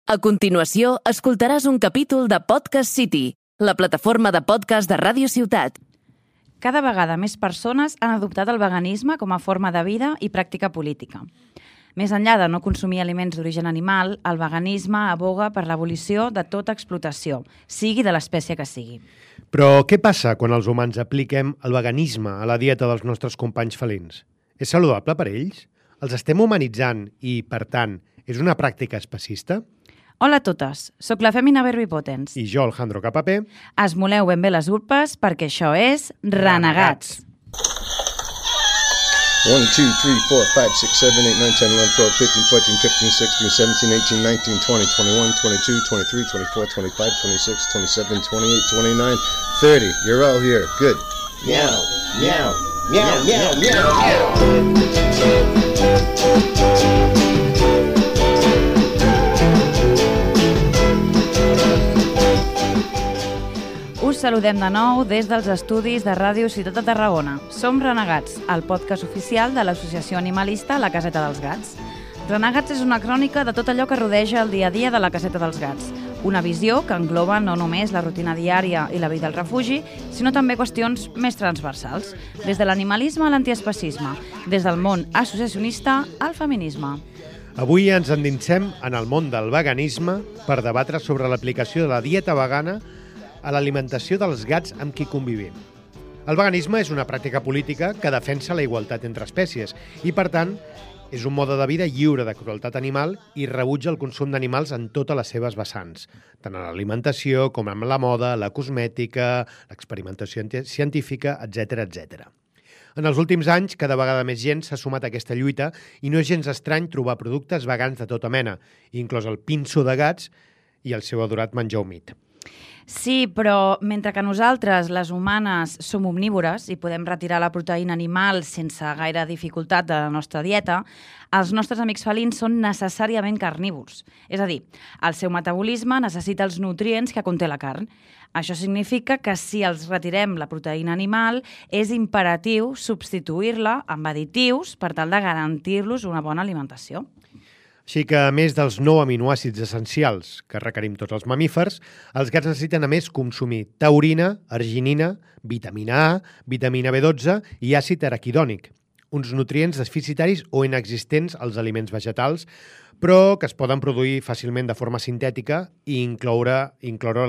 A continuació, escoltaràs un capítol de Podcast City, la plataforma de podcast de Ràdio Ciutat. Cada vegada més persones han adoptat el veganisme com a forma de vida i pràctica política. Més enllà de no consumir aliments d'origen animal, el veganisme aboga per l'abolició de tota explotació, sigui de l'espècie que sigui. Però què passa quan els humans apliquem el veganisme a la dieta dels nostres companys felins? És saludable per ells? Els estem humanitzant i, per tant, és una pràctica especista? Hola a totes, sóc la Fèmina Verbipotens. I jo, Alejandro Capapé. Esmoleu ben bé les urpes perquè això és Renegats. 1, 2, 3, 4, 5, 6, 7, 8, 9, 10, 11, 12, 13, 14, 15, 16, 17, 18, 19, 20, 21, 22, 23, 24, 25, 26, 27, 28, 29, 30. You're all here. Good. Meow, meow, meow, meow, meow, meow. Us saludem de nou des dels estudis de Ràdio Ciutat de Tarragona. Som Renegats, el podcast oficial de l'associació animalista La Caseta dels Gats. Renegats és una crònica de tot allò que rodeja el dia a dia de la Caseta dels Gats. Una visió que engloba no només la rutina diària i la vida al refugi, sinó també qüestions més transversals, des de l'animalisme a l'antiespecisme, des del món associacionista al feminisme. Avui ens endinsem en el món del veganisme per debatre sobre l'aplicació de la dieta vegana a l'alimentació dels gats amb qui convivim. El veganisme és una pràctica política que defensa la igualtat entre espècies i, per tant, és un mode de vida lliure de crueltat animal i rebutja el consum d'animals en totes les seves vessants, tant en l'alimentació com en la moda, la cosmètica, l'experimentació científica, etc etc. En els últims anys, cada vegada més gent s'ha sumat a aquesta lluita i no és gens estrany trobar productes vegans de tota mena, inclòs el pinso de gats i el seu adorat menjar humit. Sí, però mentre que nosaltres, les humanes, som omnívores i podem retirar la proteïna animal sense gaire dificultat de la nostra dieta, els nostres amics felins són necessàriament carnívors. És a dir, el seu metabolisme necessita els nutrients que conté la carn. Això significa que si els retirem la proteïna animal, és imperatiu substituir-la amb additius per tal de garantir-los una bona alimentació. Així que, a més dels 9 aminoàcids essencials que requerim tots els mamífers, els gats necessiten a més consumir taurina, arginina, vitamina A, vitamina B12 i àcid araquidònic, uns nutrients deficitaris o inexistents als aliments vegetals, però que es poden produir fàcilment de forma sintètica i incloure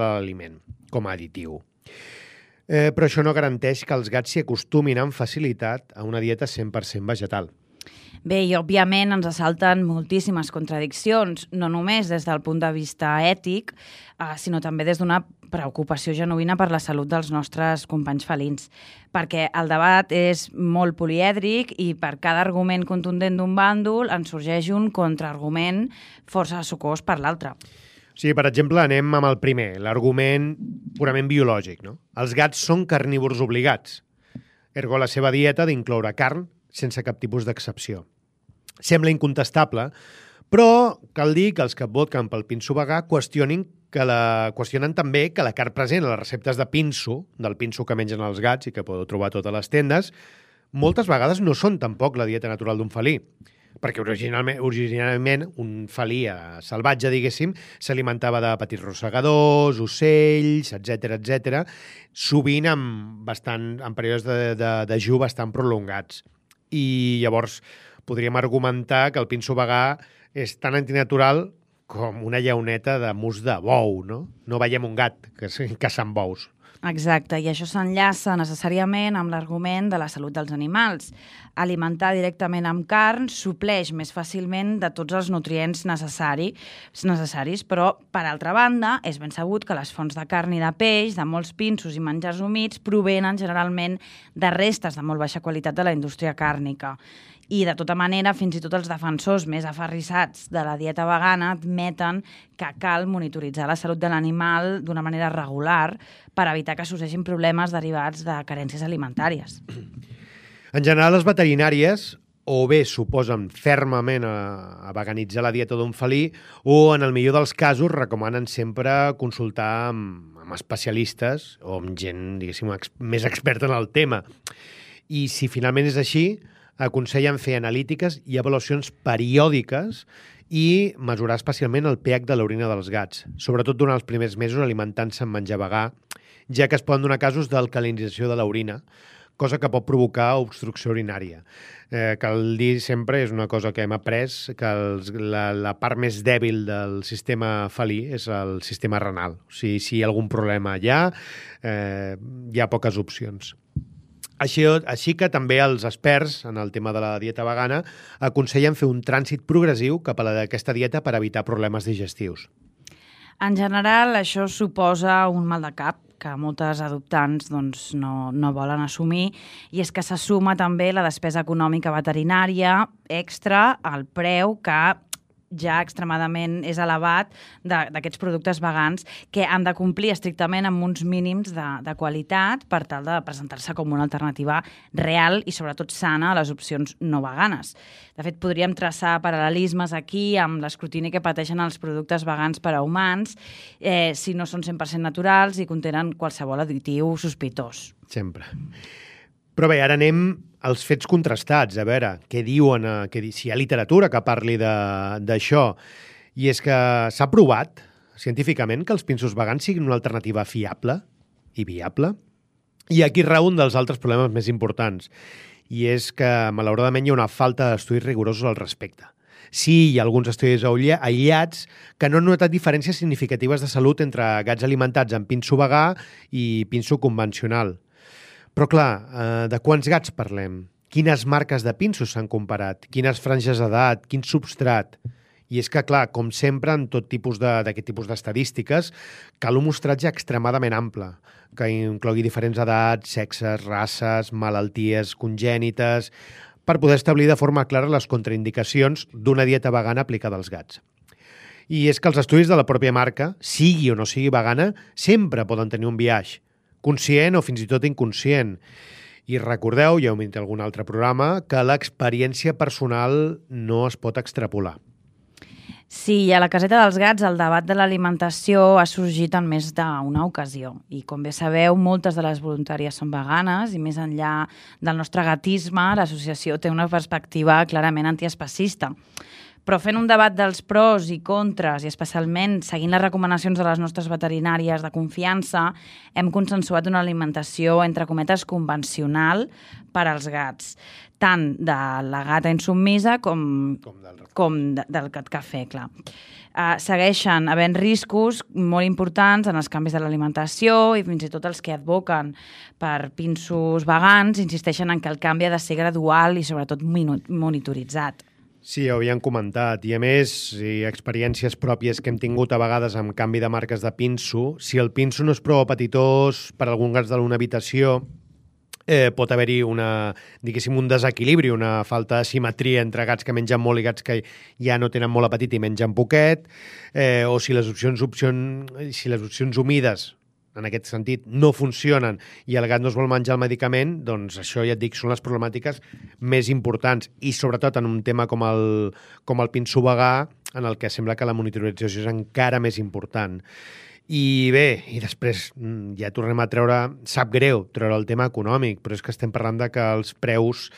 l'aliment com a additiu. Però això no garanteix que els gats s'hi acostumin amb facilitat a una dieta 100% vegetal. Bé, i òbviament ens assalten moltíssimes contradiccions, no només des del punt de vista ètic, sinó també des d'una preocupació genuïna per la salut dels nostres companys felins. Perquè el debat és molt polièdric i per cada argument contundent d'un bàndol en sorgeix un contraargument força sucós per l'altre. Sí, per exemple, anem amb el primer, l'argument purament biològic, no? Els gats són carnívors obligats. Ergo, la seva dieta ha d'incloure carn sense cap tipus d'excepció. Sembla incontestable, però cal dir que els que voten pel pinso vegà qüestionen també que la carn present a les receptes de pinso, del pinso que mengen els gats i que podeu trobar a totes les tendes, moltes vegades no són tampoc la dieta natural d'un felí, perquè originalment un felí salvatge, diguéssim, s'alimentava de petits rosegadors, ocells, etc, sovint en períodes de dejú bastant prolongats. I llavors podríem argumentar que el pinso vegà és tan antinatural com una llauneta de mus de bou, no? No veiem un gat caçant bous. Exacte, i això s'enllaça necessàriament amb l'argument de la salut dels animals. Alimentar directament amb carn supleix més fàcilment de tots els nutrients necessaris, però, per altra banda, és ben sabut que les fonts de carn i de peix, de molts pinsos i menjars humits, provenen generalment de restes de molt baixa qualitat de la indústria càrnica. I, de tota manera, fins i tot els defensors més aferrissats de la dieta vegana admeten que cal monitoritzar la salut de l'animal d'una manera regular per evitar que sorgeixin problemes derivats de carències alimentàries. En general, les veterinàries o bé s'oposen fermament a veganitzar la dieta d'un felí o, en el millor dels casos, recomanen sempre consultar amb especialistes o amb gent, diguéssim, més experta en el tema. I si finalment és així, aconsellen fer analítiques i avaluacions periòdiques i mesurar especialment el pH de l'orina dels gats, sobretot durant els primers mesos alimentant-se amb menjar vegà, ja que es poden donar casos d'alcalinització de l'orina, cosa que pot provocar obstrucció urinària. Cal dir sempre, és una cosa que hem après, que la part més dèbil del sistema felí és el sistema renal. O sigui, si hi ha algun problema allà, hi ha poques opcions. Així que també els experts en el tema de la dieta vegana aconsellen fer un trànsit progressiu cap a aquesta dieta per evitar problemes digestius. En general, això suposa un mal de cap que moltes adoptants no volen assumir, i és que s'assuma també la despesa econòmica veterinària extra al preu que ja extremadament és elevat d'aquests productes vegans, que han de complir estrictament amb uns mínims de qualitat per tal de presentar-se com una alternativa real i sobretot sana a les opcions no veganes. De fet, podríem traçar paral·lelismes aquí amb l'escrutini que pateixen els productes vegans per a humans si no són 100% naturals i contenen qualsevol additiu sospitós. Sempre. Però bé, ara anem als fets contrastats, a veure què diuen, si hi ha literatura que parli d'això. I és que s'ha provat científicament que els pinsos vegans siguin una alternativa fiable i viable. I aquí rau un dels altres problemes més importants, i és que, malauradament, hi ha una falta d'estudis rigorosos al respecte. Sí, hi ha alguns estudis aïllats que no han notat diferències significatives de salut entre gats alimentats amb pinso vegà i pinso convencional. Però, clar, de quants gats parlem? Quines marques de pinsos s'han comparat? Quines franges d'edat? Quin substrat? I és que, clar, com sempre, en tot tipus d'aquest tipus d'estadístiques, cal un mostratge extremadament ample, que inclogui diferents edats, sexes, races, malalties congènites, per poder establir de forma clara les contraindicacions d'una dieta vegana aplicada als gats. I és que els estudis de la pròpia marca, sigui o no sigui vegana, sempre poden tenir un biaix, conscient o fins i tot inconscient. I recordeu, ja ho hem dit en algun altre programa, que l'experiència personal no es pot extrapolar. Sí, a la caseta dels gats el debat de l'alimentació ha sorgit en més d'una ocasió. I com bé sabeu, moltes de les voluntàries són veganes i més enllà del nostre gatisme, l'associació té una perspectiva clarament antiespecista. Però fent un debat dels pros i contres, i especialment seguint les recomanacions de les nostres veterinàries de confiança, hem consensuat una alimentació, entre cometes, convencional per als gats, tant de la gata insubmisa com del gat cafè, clar. Segueixen havent riscos molt importants en els canvis de l'alimentació i fins i tot els que advoquen per pinsos vegans insisteixen en que el canvi ha de ser gradual i sobretot monitoritzat. Sí, ho havíem comentat. I a més, experiències pròpies que hem tingut a vegades amb canvi de marques de pinso, si el pinso no és prou apetitós per a algun gats d'una habitació, pot haver-hi un desequilibri, una falta de simetria entre gats que mengen molt i gats que ja no tenen molt apetit i mengen poquet, o si les opcions humides en aquest sentit, no funcionen i el gat no es vol menjar el medicament, doncs això, ja et dic, són les problemàtiques més importants. I sobretot en un tema com el pinso vegà, en el que sembla que la monitorització és encara més important. I bé, i després ja tornem a sap greu treure el tema econòmic, però és que estem parlant de que els preus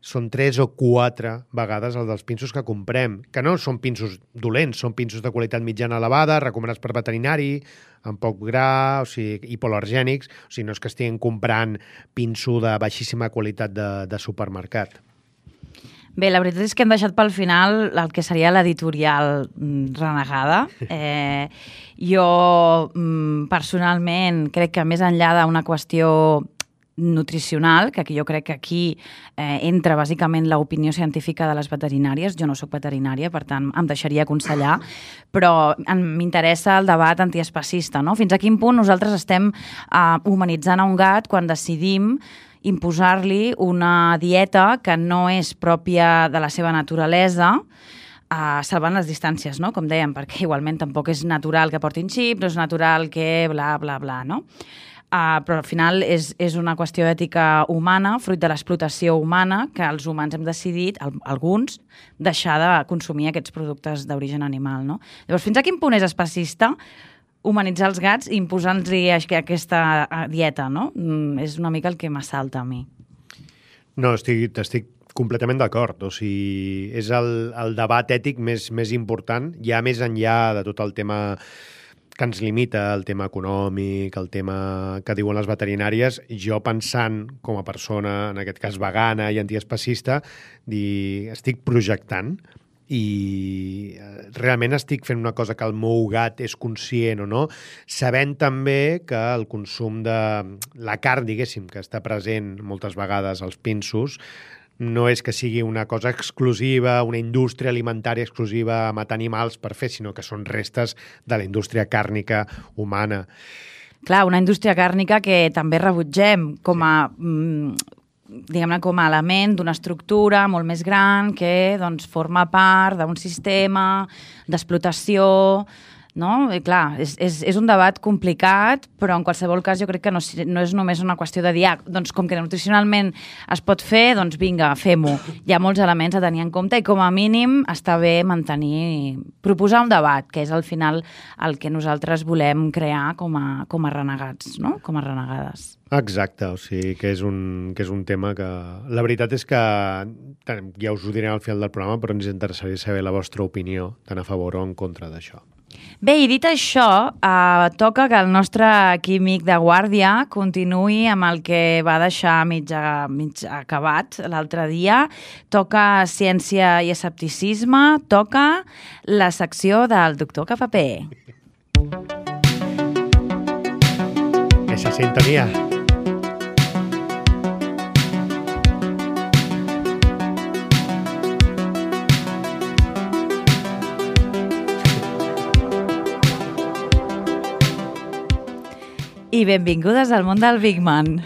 són 3 o 4 vegades els dels pinsos que comprem, que no són pinsos dolents, són pinsos de qualitat mitjana elevada, recomanats per veterinari, amb poc gra, o sigui, hipoalergènics, o sigui, no és que estiguin comprant pinso de baixíssima qualitat de supermercat. Bé, la veritat és que hem deixat pel final el que seria l'editorial renegada. Jo, personalment, crec que més enllà d'una qüestió nutricional, que jo crec que aquí entra bàsicament l'opinió científica de les veterinàries. Jo no soc veterinària, per tant em deixaria aconsellar, però m'interessa el debat antiespecista, no? Fins a quin punt nosaltres estem humanitzant a un gat quan decidim imposar-li una dieta que no és pròpia de la seva naturalesa, salvant les distàncies, no? Com dèiem, perquè igualment tampoc és natural que portin xip, no és natural que bla, bla, bla, no? Però al final és una qüestió ètica humana, fruit de l'explotació humana, que els humans hem decidit, alguns, deixar de consumir aquests productes d'origen animal, no? Llavors, fins a quin punt és especista humanitzar els gats i imposant-los aquesta dieta, no? És una mica el que m'assalta a mi. No, t'estic Completament d'acord. O sigui, és el debat ètic més important, ja més enllà de tot el tema que ens limita, el tema econòmic, el tema que diuen les veterinàries. Jo pensant com a persona, en aquest cas vegana i antiespecista, estic projectant i realment estic fent una cosa que el meu gat és conscient o no, sabent també que el consum de la carn, diguéssim, que està present moltes vegades als pinsos, no és que sigui una cosa exclusiva, una indústria alimentària exclusiva a matar animals per fer, sinó que són restes de la indústria càrnica humana. Clar, una indústria càrnica que també rebutgem com a... diguem-ne, com a element d'una estructura molt més gran que doncs, forma part d'un sistema d'explotació, no? I clar, és un debat complicat, però en qualsevol cas jo crec que no és només una qüestió de dir, doncs com que nutricionalment es pot fer, doncs vinga, fem-ho. Hi ha molts elements a tenir en compte i com a mínim està bé proposar un debat, que és al final el que nosaltres volem crear com a renegats, no? Com a renegades. Exacte, o sigui que és un tema que... La veritat és que, ja us ho diré al final del programa, però ens interessaria saber la vostra opinió, tant a favor o en contra d'això. Bé, i dit això, toca que el nostre químic de guàrdia continuï amb el que va deixar mig acabat l'altre dia. Toca ciència i escepticisme, toca la secció del doctor Cafapé. Esa sintonía. I benvingudes al món del Big Man.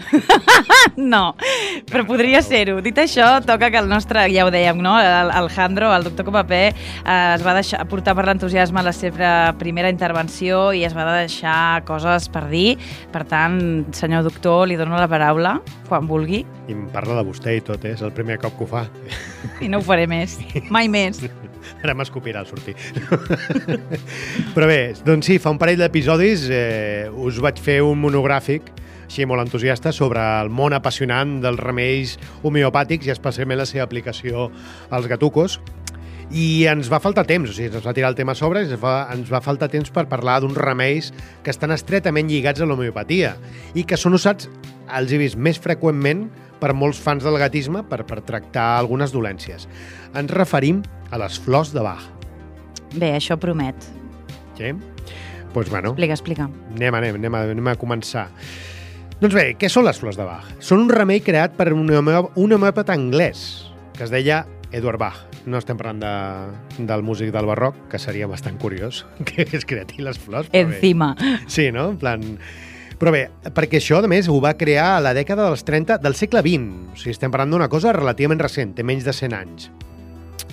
No, però podria ser-ho. Dit això, toca que el nostre, ja ho dèiem, no? El Jandro, el doctor Copapé, es va deixar portar per l'entusiasme a la seva primera intervenció i es va deixar coses per dir. Per tant, senyor doctor, li dono la paraula quan vulgui. I em parla de vostè i tot, és el primer cop que ho fa. I no ho faré més, mai més. Ara m'escopirà al sortir. Però bé, doncs sí, fa un parell d'episodis us vaig fer un monogràfic, així molt entusiasta, sobre el món apassionant dels remeis homeopàtics i especialment la seva aplicació als gatucos. I ens va faltar temps, o sigui, ens va tirar el tema a sobre, ens va faltar temps per parlar d'uns remeis que estan estretament lligats a l'homeopatia i que són usats, els he vist més freqüentment, per molts fans del gatisme per tractar algunes dolències. Ens referim a les flors de Bach. Bé, això promet. Sí? Doncs bueno, Explica. anem a començar. Doncs bé, què són les flors de Bach? Són un remei creat per un homeòpata anglès que es deia Edward Bach. No estem parlant del músic del barroc, que seria bastant curiós que es creati les flors. Encima. Sí, no? En plan... Però bé, perquè això, a més, ho va crear a la dècada dels 30 del segle XX. O sigui, estem parlant d'una cosa relativament recent, té menys de 100 anys.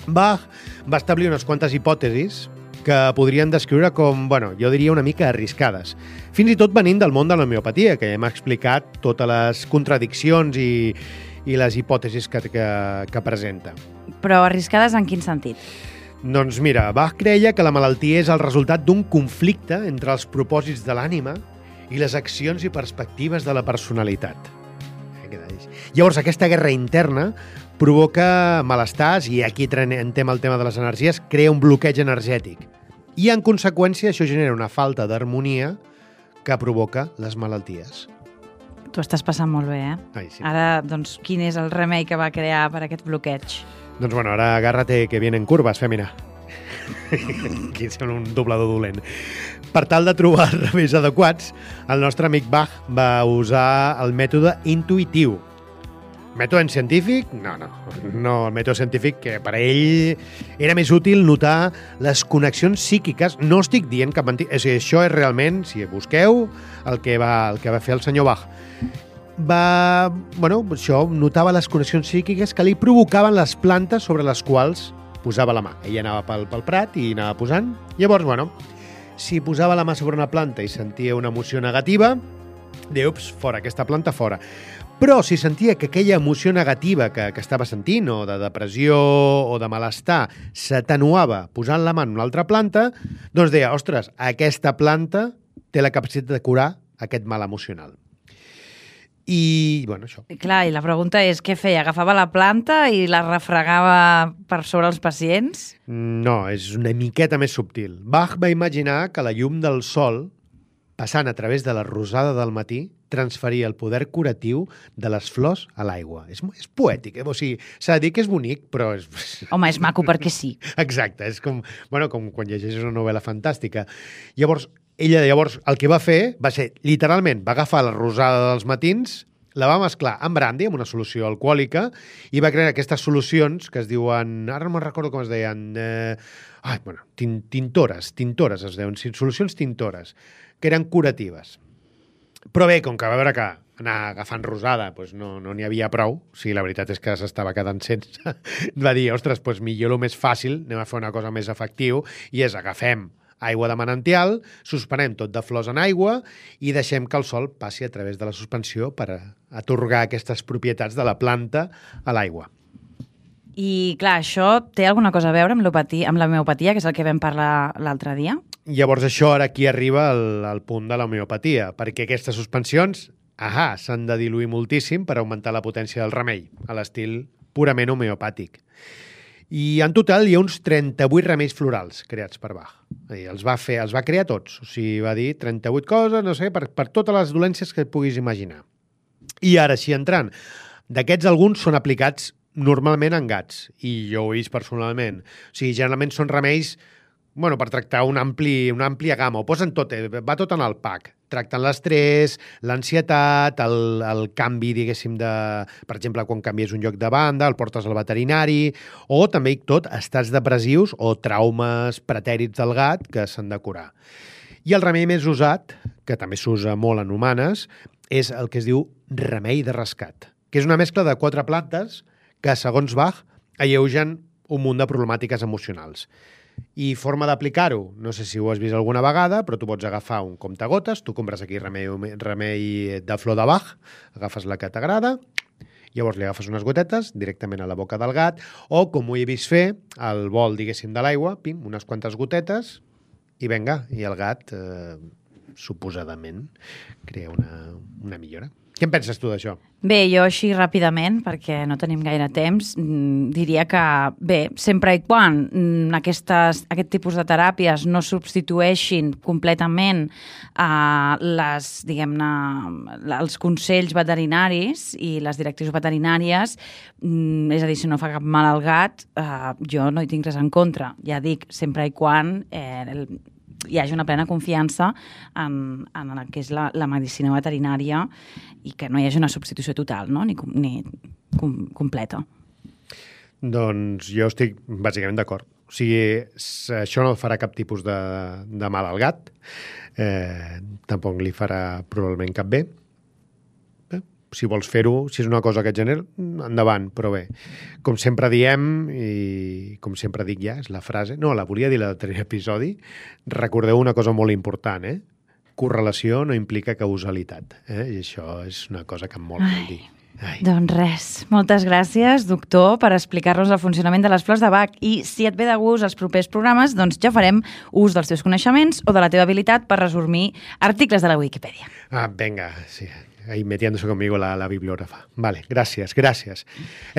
Bach va establir unes quantes hipòtesis que podrien descriure com, bueno, jo diria una mica arriscades. Fins i tot venint del món de l'homeopatia, que ja hem explicat totes les contradiccions i les hipòtesis que presenta. Però arriscades en quin sentit? Doncs mira, Bach creia que la malaltia és el resultat d'un conflicte entre els propòsits de l'ànima i les accions i perspectives de la personalitat. Llavors, aquesta guerra interna provoca malestars i aquí entrem el tema de les energies, crea un bloqueig energètic. I, en conseqüència, això genera una falta d'harmonia que provoca les malalties. Tu estàs passant molt bé, eh? Ai, sí. Ara, doncs, quin és el remei que va crear per aquest bloqueig? Doncs bueno, ara agárrate que vienen curvas, fèmina. Aquí sembla un doblador dolent. Per tal de trobar els remeis adequats, el nostre amic Bach va usar el mètode intuïtiu. Mètode científic? No, el mètode científic que per ell era més útil notar les connexions psíquiques. No estic dient cap mentida. O sigui, això és realment, si busqueu, el que va fer el senyor Bach. Això notava les connexions psíquiques que li provocaven les plantes sobre les quals posava la mà. Ell anava pel prat i anava posant. Llavors, si posava la mà sobre una planta i sentia una emoció negativa, deia, ups, fora, aquesta planta fora. Però si sentia que aquella emoció negativa que estava sentint, o de depressió o de malestar, s'atenuava posant la mà en una altra planta, doncs deia, ostres, aquesta planta té la capacitat de curar aquest mal emocional. I, bueno, això. Clar, i la pregunta és què feia? Agafava la planta i la refregava per sobre els pacients? No, és una miqueta més subtil. Bach va imaginar que la llum del sol, passant a través de la rosada del matí, transferia el poder curatiu de les flors a l'aigua. És poètic, O sigui, s'ha de dir que és bonic, però és... Home, és maco perquè sí. Exacte, és com quan llegeixes una novel·la fantàstica. Llavors, ella el que va fer va ser, literalment, va agafar la rosada dels matins, la va mesclar amb brandy, amb una solució alcohòlica, i va crear aquestes solucions que es diuen... Ara no me'n recordo com es deien... tintores es deuen, solucions tintores, que eren curatives. Però bé, com que va veure que anar agafant rosada doncs no n'hi havia prou, o sigui, la veritat és que s'estava quedant sense, va dir, ostres, doncs millor el més fàcil, anem a fer una cosa més efectiu, i és agafem aigua de manantial, suspenem tot de flors en aigua i deixem que el sol passi a través de la suspensió per atorgar aquestes propietats de la planta a l'aigua. I, clar, això té alguna cosa a veure amb la homeopatia, que és el que vam parlar l'altre dia? Llavors això ara aquí arriba al punt de l'homeopatia, perquè aquestes suspensions s'han de diluir moltíssim per augmentar la potència del remei, a l'estil purament homeopàtic. I en total hi ha uns 38 remeis florals creats per Bach. Els va crear tots, o sigui, va dir 38 coses, no sé, per totes les dolències que et puguis imaginar. I ara, així entrant, d'aquests alguns són aplicats normalment en gats, i jo ho he vist personalment. O sigui, generalment són remeis per tractar una àmplia gamma. Ho posen tot, va tot en el pack. Tracten l'estrès, l'ansietat, el canvi, diguéssim, per exemple, quan canvies un lloc de banda, el portes al veterinari, o també tot estats depressius o traumes pretèrits del gat que s'han de curar. I el remei més usat, que també s'usa molt en humanes, és el que es diu remei de rescat, que és una mescla de 4 plantes que, segons Bach, alleugen un munt de problemàtiques emocionals. I forma d'aplicar-ho, no sé si ho has vist alguna vegada, però tu pots agafar un comptagotes, tu compres aquí remei de flor de Bach, agafes la que t'agrada, llavors li agafes unes gotetes directament a la boca del gat, o, com ho he vist fer, al bol, diguéssim, de l'aigua, pim, unes quantes gotetes, i vinga, i el gat, suposadament, crea una millora. Què en penses tu d'això? Bé, jo així ràpidament, perquè no tenim gaire temps, diria que, bé, sempre i quan aquest tipus de teràpies no substitueixin completament els consells veterinaris i les directrius veterinàries, és a dir, si no fa cap mal al gat, jo no hi tinc res en contra. Ja dic, sempre i quan hi hagi una plena confiança en el que és la medicina veterinària i que no hi hagi una substitució total, no? ni completa. Doncs jo estic bàsicament d'acord. O sigui, això no farà cap tipus de mal al gat, tampoc li farà probablement cap bé. Si vols fer-ho, si és una cosa que et genera, endavant, però bé. Com sempre diem, i com sempre dic ja, és la frase, no, la volia dir a l'altre episodi, recordeu una cosa molt important, correlació no implica causalitat, i això és una cosa que em vol dir. Doncs res, moltes gràcies, doctor, per explicar-nos el funcionament de les flors de Bach, i si et ve de gust els propers programes, doncs ja farem ús dels teus coneixements o de la teva habilitat per resumir articles de la Wikipedia. Venga, sí. Ahí metiéndose conmigo la bibliògrafa. Vale, gràcies.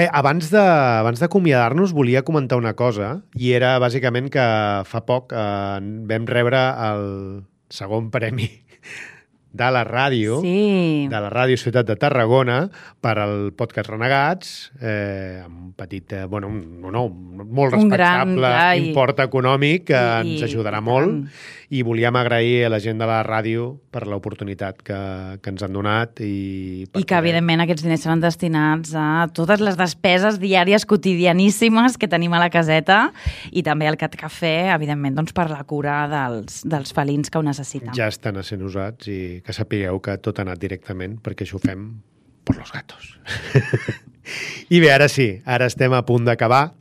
Abans d'acomiadar-nos volia comentar una cosa, i era bàsicament que fa poc vam rebre el segon premi de la ràdio, de la Ràdio Ciutat de Tarragona, per al podcast Renegats, amb un petit, molt respectable import econòmic que ens ajudarà molt, i volíem agrair a la gent de la ràdio per l'oportunitat que ens han donat. I que, evidentment, aquests diners seran destinats a totes les despeses diàries quotidianíssimes que tenim a la caseta, i també al Cat Cafè, evidentment, doncs, per la cura dels felins que ho necessiten. Ja estan sent usats, i que sapigueu que tot ha anat directament, perquè això ho fem per los gatos. I bé, ara sí, ara estem a punt d'acabar,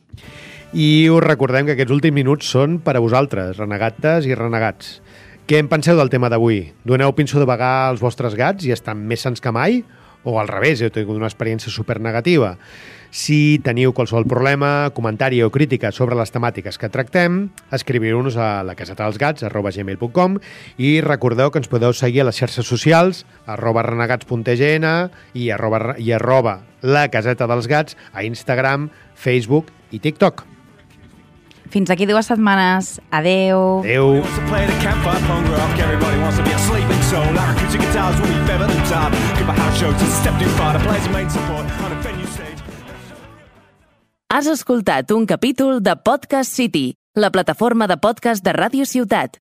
i us recordem que aquests últims minuts són per a vosaltres, renegates i renegats. Què en penseu del tema d'avui? Doneu pinço de vagar als vostres gats i estan més sans que mai? O al revés, heu tingut una experiència supernegativa? Si teniu qualsevol problema, comentari o crítica sobre les temàtiques que tractem, escriviu-nos a lacasetadelsgats@gmail.com i recordeu que ens podeu seguir a les xarxes socials @renegats.tgn i arroba la caseta dels gats a Instagram, Facebook i TikTok. Fins aquí 2 setmanes. Adeu. Adeu. Has escoltat un capítol de Podcast City, la plataforma de podcast de Ràdio Ciutat.